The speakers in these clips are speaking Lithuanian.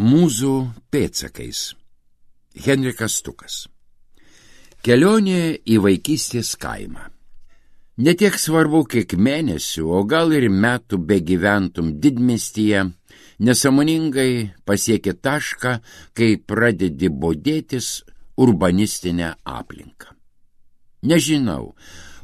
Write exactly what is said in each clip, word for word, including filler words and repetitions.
Mūzų pėdsakais. Henrikas Stukas. Kelionė į vaikystės kaimą. Ne tiek svarbu, kiek mėnesių, o gal ir metų begyventum didmiestyje, nesąmoningai pasieki tašką, kai pradedi bodėtis urbanistinę aplinką. Nežinau,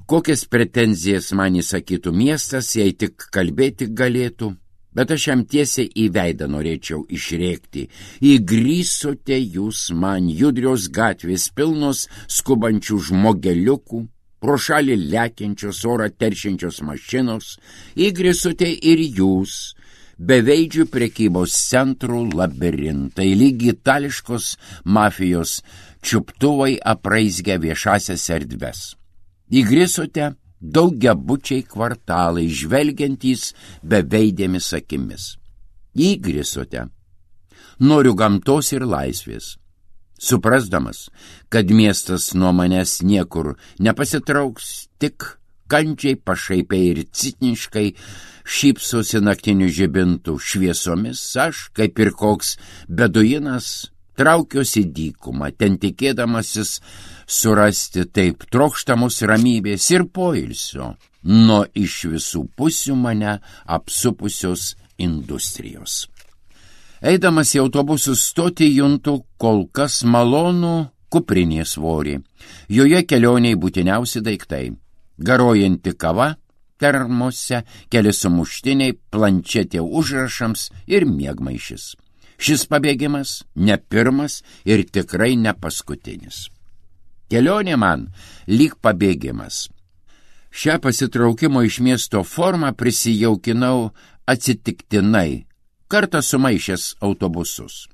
kokias pretenzijas man įsakytų miestas, jei tik kalbėti galėtų, bet aš jam tiesiai į veidą norėčiau išrėkti. Įgrįsote jūs man judrios gatvės pilnos skubančių žmogeliukų, pro šalį lekiančios orą teršiančios mašinos, įgrįsote ir jūs, beveidžių prekybos centrų labirintai, lyg itališkos mafijos čiuptuvai apraizgę viešasias erdves. Įgrįsote daugiabučiai kvartalai, žvelgiantys beveidėmis akimis. Įgrįsote. Noriu gamtos ir laisvės. Suprasdamas, kad miestas nuo manęs niekur nepasitrauks, tik kančiai, pašaipiai ir citniškai šypsosi naktinių žibintų šviesomis, aš, kaip ir koks beduinas, traukiuosi dykumą, ten tikėdamasis surasti taip trokštamos ramybės ir poilsio nuo iš visų pusių mane apsupusios industrijos. Eidamas į autobusų stotį juntu kol kas malonų kuprinės svorį. Joje kelioniai būtiniausi daiktai. Garojanti kava termose, keli sumuštiniai, planšetė užrašams ir miegmaišis. Šis pabėgimas ne pirmas ir tikrai ne paskutinis. Kelionė man lyg pabėgimas. Šią pasitraukimo iš miesto formą prisijaukinau atsitiktinai, kartą sumaišęs autobusus.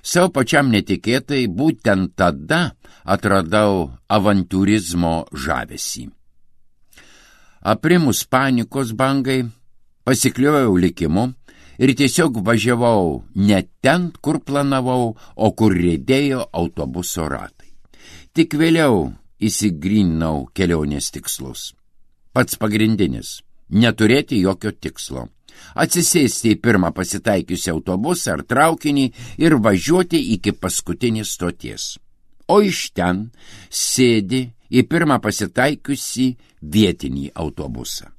Savo pačiam netikėtai būtent tada atradau avantūrizmo žavesį. Aprimus panikos bangai, pasikliojau likimu ir tiesiog važiavau ne ten, kur planavau, o kur riedėjo autobuso ratai. Tik vėliau įsigryninau kelionės tikslus. Pats pagrindinis – neturėti jokio tikslo. Atsisėsti į pirmą pasitaikiusią autobusą ar traukinį ir važiuoti iki paskutinės stoties. O iš ten sėdi į pirmą pasitaikiusį vietinį autobusą.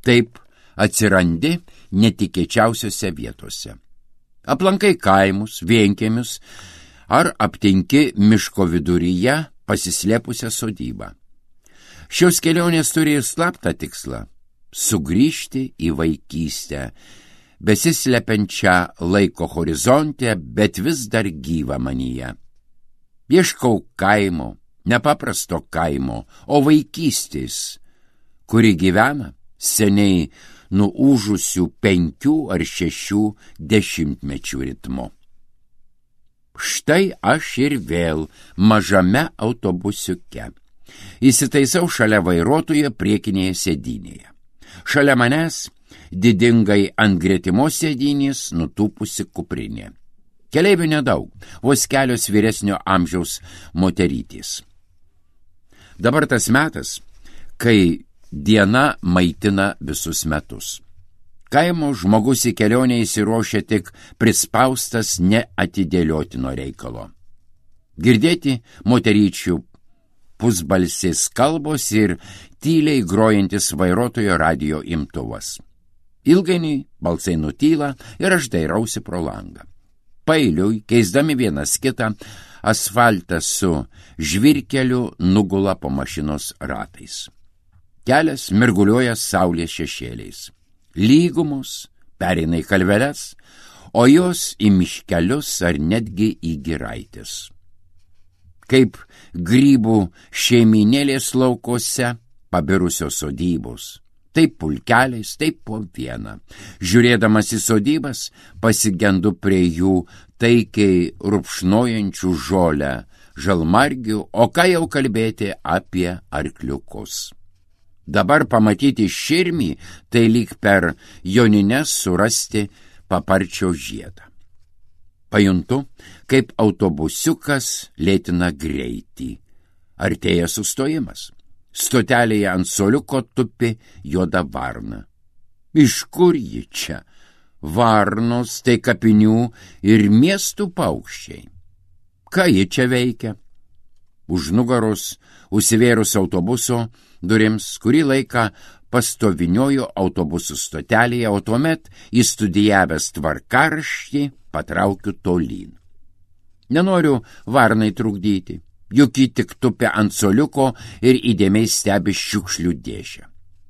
Taip atsirandi netikėčiausiose vietose. Aplankai kaimus, vienkiemius ar aptinki miško viduryje pasislėpusią sodybą. Šios kelionės turi slaptą tikslą – sugrįžti į vaikystę, besislepiančią laiko horizonte, bet vis dar gyvą manyje. Ieškau kaimo, nepaprasto kaimo, o vaikystės, kuri gyvena seniai nuūžusių penkių ar šešių dešimtmečių ritmu. Štai aš ir vėl mažame autobusiuke. Įsitaisau šalia vairuotojo priekinėje sėdynėje. Šalia manęs didingai ant gretimos sėdynės nutūpusi kuprinė. Keleivių nedaug, vos kelios vyresnio amžiaus moterytės. Dabar tas metas, kai diena maitina visus metus. Kaimo žmogus į kelionę įsiruošia tik prispaustas neatidėliotino reikalo. Girdėti moteryčių pusbalsės kalbos ir tyliai grojantis vairuotojo radijo imtuvas. Ilgainiui balsai nutyla ir aš dairausi pro langą. Paeiliui, keisdami vienas kitą, asfaltas su žvyrkeliu nugula po mašinos ratais. Kelias mirguliuoja saulės šešėliais. Lygumos pereina į kalveles, o jos į miškelius ar netgi į giraites. Kaip grybų šeiminėlės laukose pabirusios sodybos, taip pulkeliais, taip po vieną. Žiūrėdamas į sodybas, pasigendu prie jų taikiai rupšnojančių žolę, žalmargių, o ką jau kalbėti apie arkliukus. Dabar pamatyti širmį, tai lyg per jonines surasti paparčio žiedą. Pajuntu, kaip autobusiukas lėtina greitį. Artėja sustojimas. Stotelėje ant suoliuko tupi juoda varna. Iš kur ji čia? varnos, tai kapinių ir miestų paukščiai. Ką ji čia veikia? Už nugaros, užsivėrus autobuso durims, kurį laiką pastoviniojo autobusų stotelėje, o tuomet įstudijavęs tvarkaraštį patraukiu tolyn. Nenoriu varnai trukdyti, juk ji tik tupia ant soliuko ir įdėmiai stebi šiukšlių dėžę.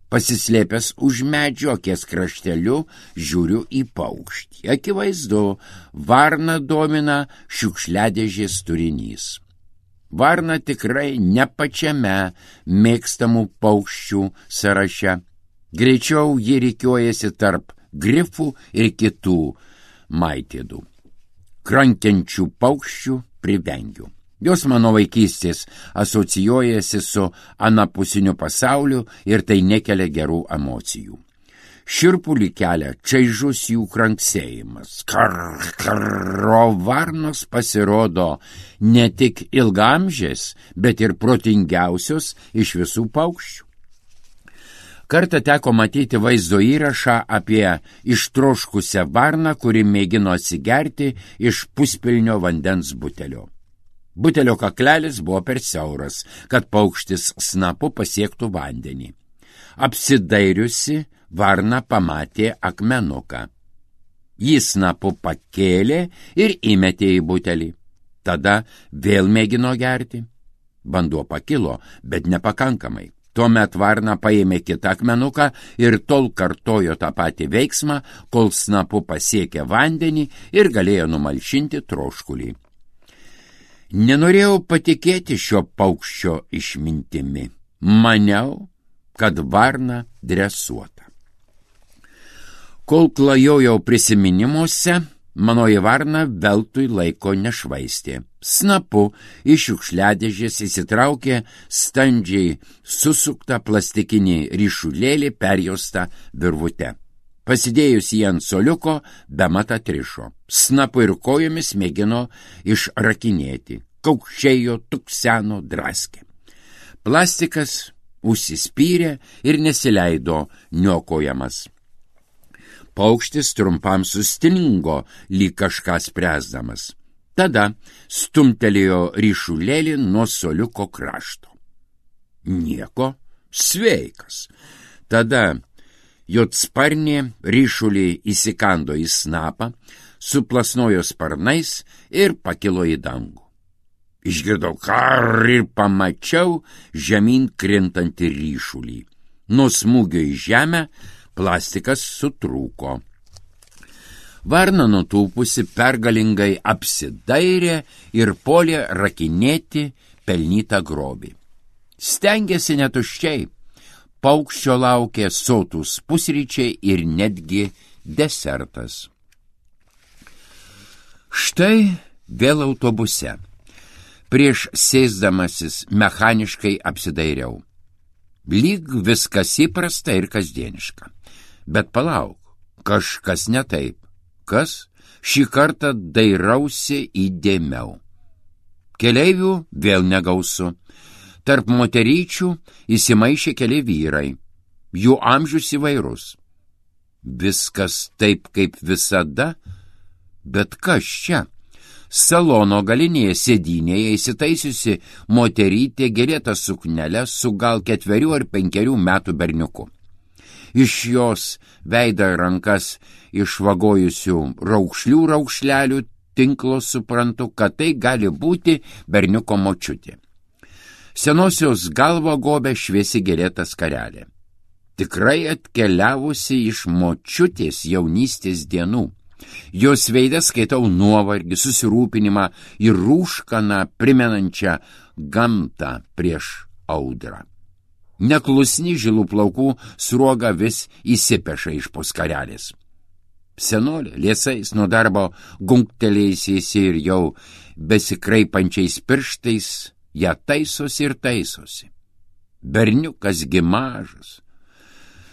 Pasislėpęs už medžio akies krašteliu žiūriu į paukštį. Akivaizdu, varną domina šiukšliadėžės turinys. Varna tikrai ne pačiame mėgstamų paukščių sąraše. Greičiau ji rikiuojasi tarp grifų ir kitų maitėdų. Krankiančių paukščių privengiu. Jos mano vaikystės asocijuojasi su anapusiniu pasauliu ir tai nekelia gerų emocijų. Šiurpulį kelia čaižus jų kranksėjimas. Kar, kar, o varnos pasirodo ne tik ilgamžės, bet ir protingiausios iš visų paukščių. Kartą teko matyti vaizdo įrašą apie ištroškusią varną, kuri mėgino atsigerti iš puspilnio vandens butelio. Butelio kaklelis buvo per siauras, kad paukštis snapu pasiektų vandenį. Apsidairiusi, varna pamatė akmenuką. Jis snapu pakėlė ir įmetė į butelį. Tada vėl mėgino gerti. Vanduo pakilo, bet nepakankamai. Tuomet varna paėmė kitą akmenuką ir tol kartojo tą patį veiksmą, kol snapu pasiekė vandenį ir galėjo numalšinti troškulį. Nenorėjau patikėti šio paukščio išmintimi. Maniau, kad varna dresuota. Kol klajojau prisiminimuose, manoji varna veltui laiko nešvaistė. Snapu iš šiukšliadėžės įsitraukė standžiai susuktą plastikinį ryšulėlį perjaustą virvute. Pasidėjus jį ant soliuko, bemat atrišo. Snapu ir kojomis mėgino išrakinėti. Kaukšėjo, tukseno, draskė. Plastikas užsispyrė ir nesileido niokojamas. Paukštis trumpam sustingo, lyg kažką spręsdamas. Tada stumtelėjo ryšulėlį nuo soliuko krašto. Nieko, sveikas. Tada jotsparnė ryšulį įsikando į snapą, suplasnojo sparnais ir pakilo į dangų. Išgirdau kar ir pamačiau žemyn krintantį ryšulį. Nuo smūgio į žemę plastikas sutrūko. Varna nutūpusi pergalingai apsidairė ir puolė rakinėti pelnytą grobį. Stengėsi netuščiai. Paukščio laukė sotūs pusryčiai ir netgi desertas. Štai vėl autobuse. Prieš sėsdamasis mechaniškai apsidairiau. Lyg viskas įprasta ir kasdieniška. Bet palauk, kažkas ne taip. Kas? Šį kartą dairausi įdėmiau. Keleivių vėl negausu. Tarp moteryčių įsimaišė keli vyrai. Jų amžius įvairus. Viskas taip kaip visada, bet kas čia? Salono galinėje sėdynėje įsitaisiusi moterytė gėlėta suknelė su gal ketverių ar penkerių metų berniuku. Iš jos veidą rankas išvagojusių raukšlių raukšlelių tinklo suprantu, kad tai gali būti berniuko močiutė. Senosios galvą gobė šviesi gėlėta skarelė. Tikrai atkeliavusi iš močiutės jaunystės dienų. Jos veidą skaitau nuovargį, susirūpinimą ir rūškaną primenančią gamtą prieš audrą. Neklusni žilų plaukų sruoga vis įsipeša iš po skarelės. Senolė liesais nuo darbo gunktelėjusiais ir jau besikraipančiais pirštais ją taisosi ir taisosi. Berniukas gi mažas,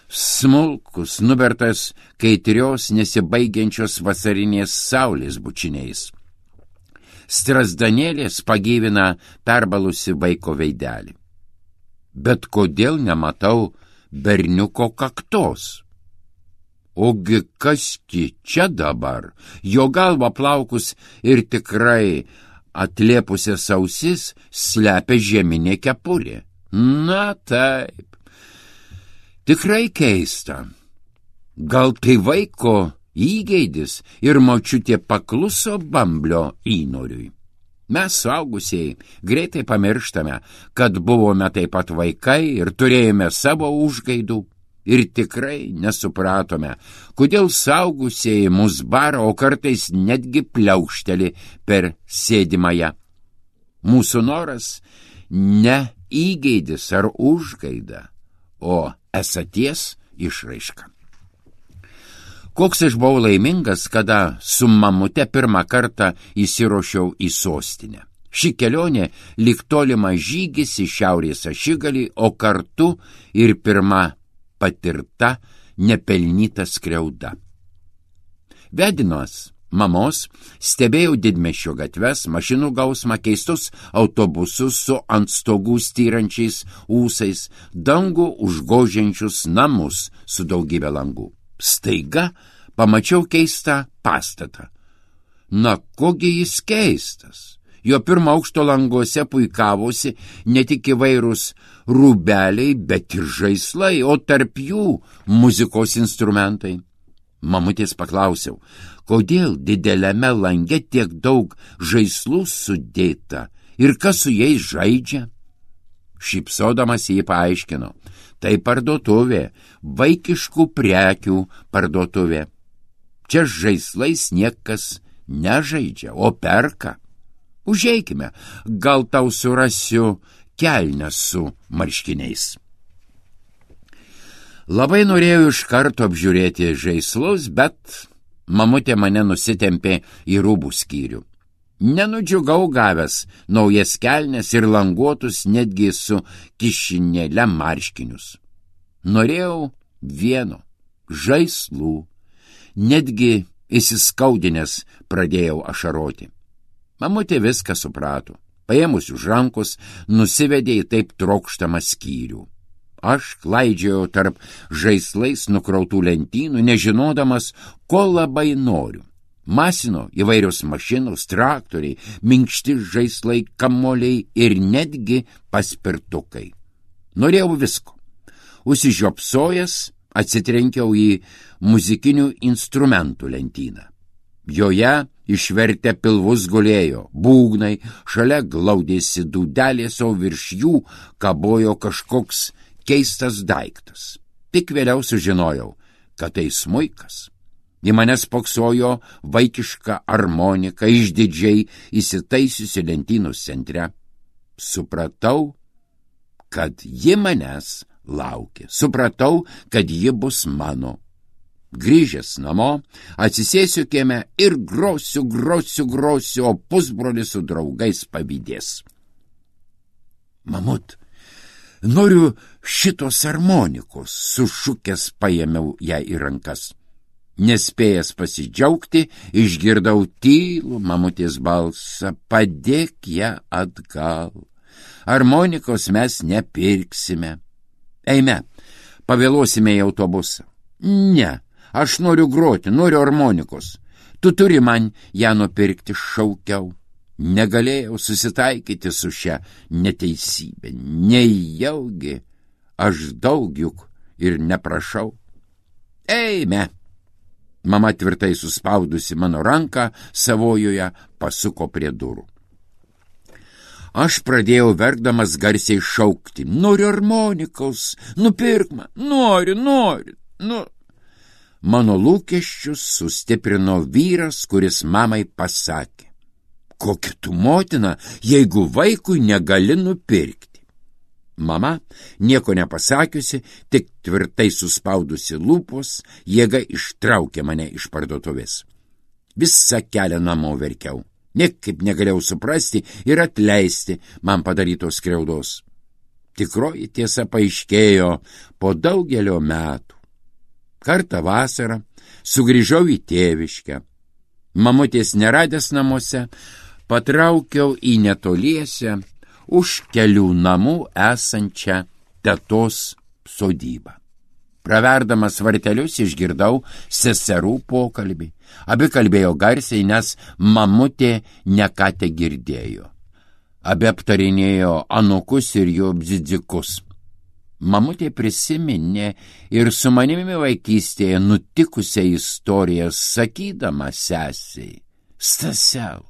smulkus, nubertas kaitrios nesibaigiančios vasarinės saulės bučiniais. Strazdanėlės pagyvina perbalusi vaiko veidelį. Bet kodėl nematau berniuko kaktos? Ogi kaski čia dabar, jo galva plaukus ir tikrai atlėpusias ausis slepia žieminė kepurė. Na taip, tikrai keista. Gal tai vaiko įgeidis ir močiutė pakluso bamblio įnoriui. Mes suaugusieji greitai pamirštame, kad buvome taip pat vaikai ir turėjome savo užgaidų ir tikrai nesupratome, kodėl suaugusieji mus bara, o kartais netgi pliaukšteli per sėdimąją. Mūsų noras ne įgeidis ar užgaida, o esaties išraiška. Koks aš buvau laimingas, kada su mamute pirmą kartą įsiruošiau į sostinę. Ši kelionė lyg tolimas žygis į šiaurės ašigalį, o kartu ir pirma patirta nepelnyta skriauda. Vedinos mamos stebėjau didmiesčio gatves, mašinų gausmą, keistus autobusus su ant stogų styrančiais ūsais, dangų užgožiančius namus su daugybė langų. Staiga pamačiau keistą pastatą. Na, kogi jis keistas? Jo pirmo aukšto languose puikavosi ne tik įvairūs rūbeliai, bet ir žaislai, o tarp jų muzikos instrumentai. Mamutės paklausiau, kodėl dideliame lange tiek daug žaislų sudėta ir kas su jais žaidžia? Šypsodamas jį paaiškino, tai parduotuvė, vaikiškų prekių parduotuvė. Čia žaislais niekas nežaidžia, o perka. Užeikime, gal tau surasiu kelnes su marškiniais. Labai norėjau iš karto apžiūrėti žaislus, bet mamutė mane nusitempė į rūbų skyrių. Nenudžiugau gavęs naujas kelnes ir languotus netgi su kišinėle marškinius. Norėjau vieno – žaislų. Netgi įsiskaudinęs pradėjau ašaroti. Mamutė viską suprato. Paėmus už rankos, nusivedė į taip trokštamą skyrių. Aš klaidžiojau tarp žaislais nukrautų lentynų, nežinodamas, ko labai noriu. Masino įvairios mašinos, traktoriai, minkšti žaislai, kamoliai ir netgi paspirtukai. Norėjau visko. Užsižiopsojęs atsitrenkiau į muzikinių instrumentų lentyną. Joje išvertę pilvus gulėjo būgnai, šalia glaudėsi dūdelės, o virš jų kabojo kažkoks keistas daiktas. Tik vėliau sužinojau, kad tai smuikas. Į mane spoksojo vaikiška armonika, išdidžiai įsitaisiusi lentynos centre. Supratau, kad ji manęs laukia. Supratau, kad ji bus mano. Grįžęs namo, atsisėsiu kieme ir grosiu, grosiu, grosiu, o pusbrolis su draugais pavydės. Mamut, noriu šitos armonikos, sušukęs paėmiau ją į rankas. Nespėjęs pasidžiaugti, išgirdau tylų mamutės balsą, padėk ją atgal. Armonikos mes nepirksime. Eime, pavėluosime į autobusą. Ne, aš noriu groti, noriu armonikos. Tu turi man ją nupirkti, šaukiau. Negalėjau susitaikyti su šia neteisybė. Nejaugi, aš daug juk ir neprašau. Eime. Mama tvirtai suspaudusi mano ranką savojoje pasuko prie durų. Aš pradėjau verkdamas garsiai šaukti. Noriu armonikos, nupirk man, noriu, noriu, nu. Mano lūkesčius sustiprino vyras, kuris mamai pasakė. Kokia tu motina, jeigu vaikui negali nupirkti? Mama, nieko nepasakiusi, tik tvirtai suspaudusi lūpos, jėga ištraukė mane iš parduotuvės. Visą kelią namo verkiau. Niekaip negalėjau suprasti ir atleisti man padarytos skriaudos. Tikroji tiesa paaiškėjo po daugelio metų. Kartą vasarą sugrįžau į tėviškę. Mamutės neradęs namuose, patraukiau į netoliese už kelių namų esančią tetos sodybą. Praverdamas vartelius išgirdau seserų pokalbį. Abi kalbėjo garsiai, nes mamutė neką te girdėjo. Abi aptarinėjo anukus ir jų bzidzikus. Mamutė prisiminė ir su manimi vaikystėje nutikusią istoriją, sakydama sesiai: Stasel,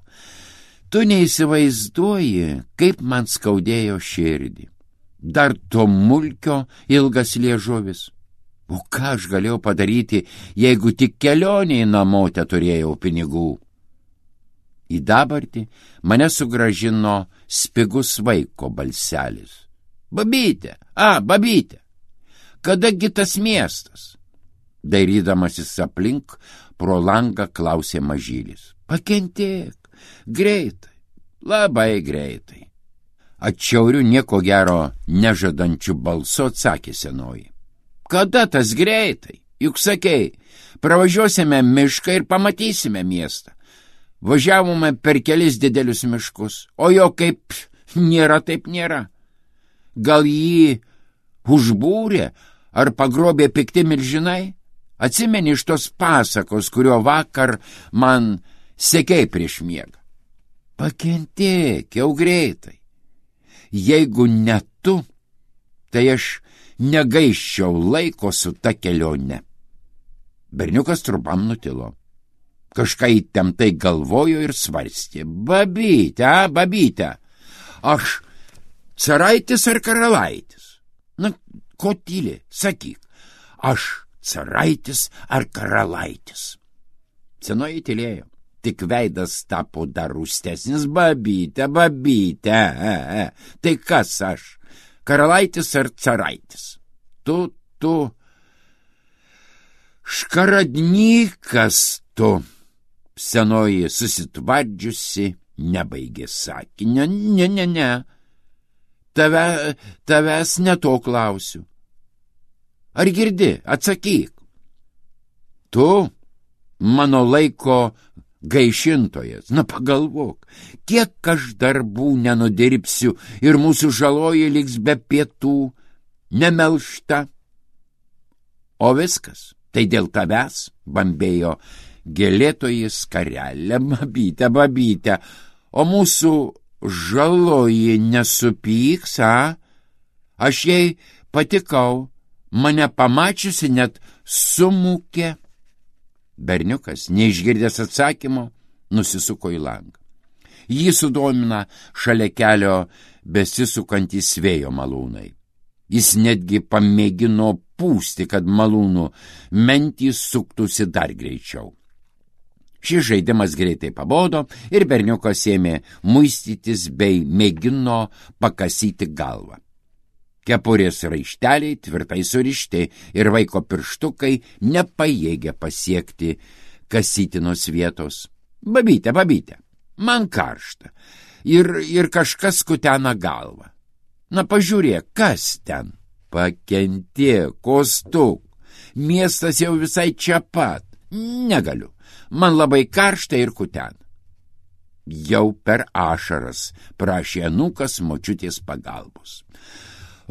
tu neįsivaizduoji, kaip man skaudėjo širdį. Dar to mulkio ilgas liežuvis. O ką aš galėjau padaryti, jeigu tik kelioniai namo te turėjau pinigų? Į dabartį mane sugrąžino spigus vaiko balselis. Babytė, a, babytė, kadagi tas miestas? Dairydamasis aplink, pro langą klausė mažylis. Pakentėk, greitai, labai greitai. Atšiauriu nieko gero nežadančiu balsu atsakė senoji. Kada tas greitai? Juk sakei, pravažiuosime mišką ir pamatysime miestą. Važiavome per kelis didelius miškus, o jo kaip nėra, taip nėra. Gal jį užbūrė ar pagrobė pikti milžinai? Atsimeni iš tos pasakos, kurio vakar man sekei prieš miegą. Pakentėk jau greitai. Jeigu ne tu, tai aš negaiščiau laiko su ta kelione. Berniukas trumpam nutilo. Kažką įtemptai galvojo ir svarstė. Babytė, a, babytė, aš caraitis ar karalaitis? Na, ko tyli, sakyk, aš caraitis ar karalaitis? Senoji tylėjo, tik veidas tapo dar rūstesnis. Babytė, babytė, e, e, tai kas aš? Karalaitis ar caraitis? Tu, tu, škaradnykas tu. Senoji susitvardžiusi nebaigė sakinio. Ne, ne, ne, Tave, tavęs ne to klausiu. Ar girdi, atsakyk. Tu, mano laiko gaišintojas, na pagalvok, kiek aš darbų nenudirbsiu ir mūsų žaloji liks be pietų, nemelšta. O viskas, tai dėl tavęs, bambėjo gėlėtoji skarelė. Babytė, babytė, o mūsų žaloji nesupyks, a? Aš jai patikau, mane pamačiusi net sumūkė. Berniukas, neišgirdęs atsakymo, nusisuko į langą. Jį sudomina šalia kelio besisukantys vėjo malūnai. Jis netgi pamėgino pūsti, kad malūnų mentys suktųsi dar greičiau. Šis žaidimas greitai pabodo ir berniukas ėmė muistytis bei mėgino pakasyti galvą. Kepurės raišteliai tvirtai surišti ir vaiko pirštukai nepajėgė pasiekti kasytinos vietos. Babytė, babytė, man karšta ir, ir kažkas kutena galvą. Na pažiūrėk, kas ten? Pakentėk, kostuk, miestas jau visai čia pat. Negaliu, man labai karšta ir kutena. Jau per ašaras prašė anūkas močiutės pagalbos.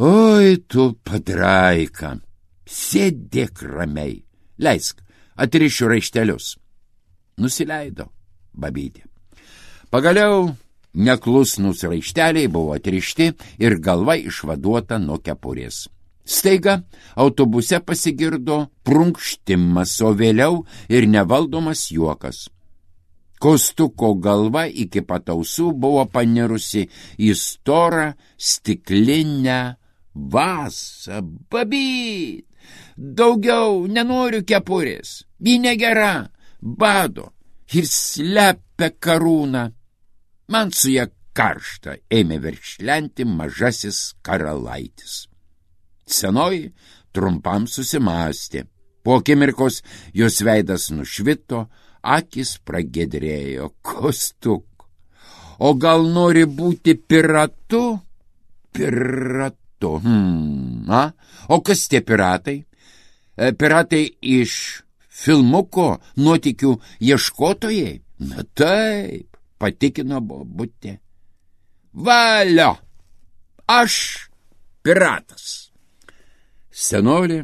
Oi, tu padraika, sėdėk ramiai, leisk, atrišiu raištelius. Nusileido babytė. Pagaliau neklusnus raišteliai buvo atrišti ir galva išvaduota nuo kepurės. Staiga autobuse pasigirdo prunkštimas, o vėliau ir nevaldomas juokas. Kostuko galva iki pat ausų buvo panirusi į storą stiklinę vasą. Babyt, daugiau nenoriu kepurės, ji negera, bado ir slepia karūną. Man su ja karšta, ėmė verkšlenti mažasis karalaitis. Senoji trumpam susimąstė. Po akimirkos jos veidas nušvito, akis pragiedrėjo. Kostuk, o gal nori būti piratu? Piratu. Hmm, a? O kas tie piratai? E, piratai iš filmuko Nuotykių ieškotojai? Na taip, patikino bobutė. Valio, aš piratas. Senolė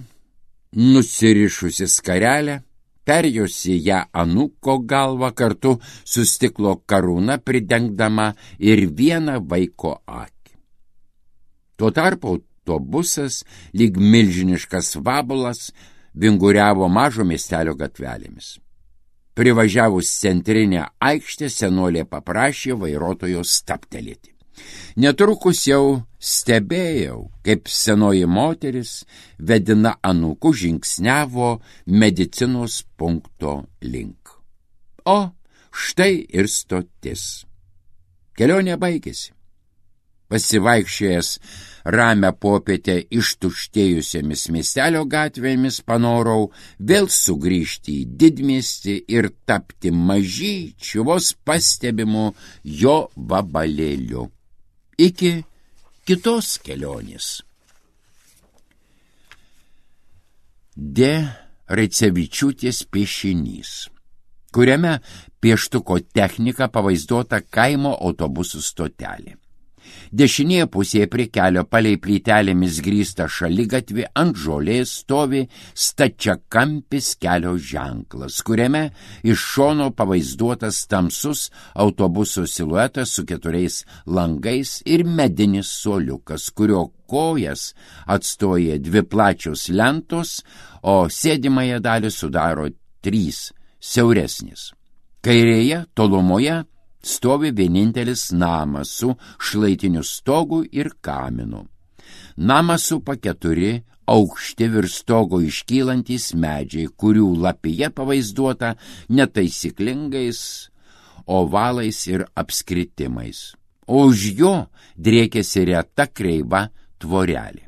nusirišusi skarelę, perjosi ją anūko galvą kartu su stiklo karūna pridengdama ir vieną vaiko akį. Tuo tarpu autobusas, lyg milžiniškas vabalas, vinguriavo mažo miestelio gatvelėmis. Privažiavus centrinę aikštę, senolė paprašė vairuotojo stabtelėti. Netrukus jau stebėjau, kaip senoji moteris, vedina anūkų, žingsniavo medicinos punkto link. O štai ir stotis. Kelionė baigėsi. Pasivaikščiojęs ramią popietę ištuštėjusiamis miestelio gatvėmis panorau vėl sugrįžti į didmiestį ir tapti mažyčiu, vos pastebimu jo vabalėliu. Iki kitos kelionės. D. Raicevičiūtės piešinys, kuriame pieštuko technika pavaizduota kaimo autobusų stotelė. Dešinėje pusėje prie kelio palei plytelėmis grįstą šaligatvį ant žolės stovi stačiakampis kelio ženklas, kuriame iš šono pavaizduotas tamsus autobuso siluetas su keturiais langais ir medinis suoliukas, kurio kojas atstoja dvi plačios lentos, o sėdimąją dalį sudaro trys siauresnės. Kairėje, tolumoje, stovi vienintelis namas su šlaitiniu stogu ir kaminu. Namą supa keturi aukšti virš stogo iškylantys medžiai, kurių lapija pavaizduota netaisyklingais ovalais ir apskritimais. O už jo driekėsi reta kreiva tvorelė.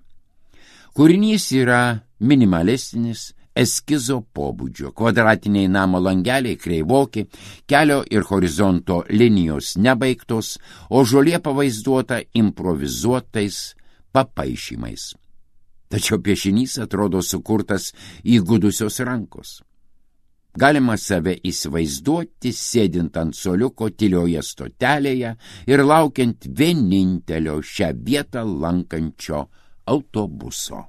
Kūrinys yra minimalistinis, eskizo pobūdžio, kvadratiniai namo langeliai kreivoki, kelio ir horizonto linijos nebaigtos, o žolė pavaizduota improvizuotais papaišymais. Tačiau piešinys atrodo sukurtas įgudusios rankos. Galima save įsivaizduoti sėdint ant suoliuko tylioje stotelėje ir laukiant vienintelio šią vietą lankančio autobuso.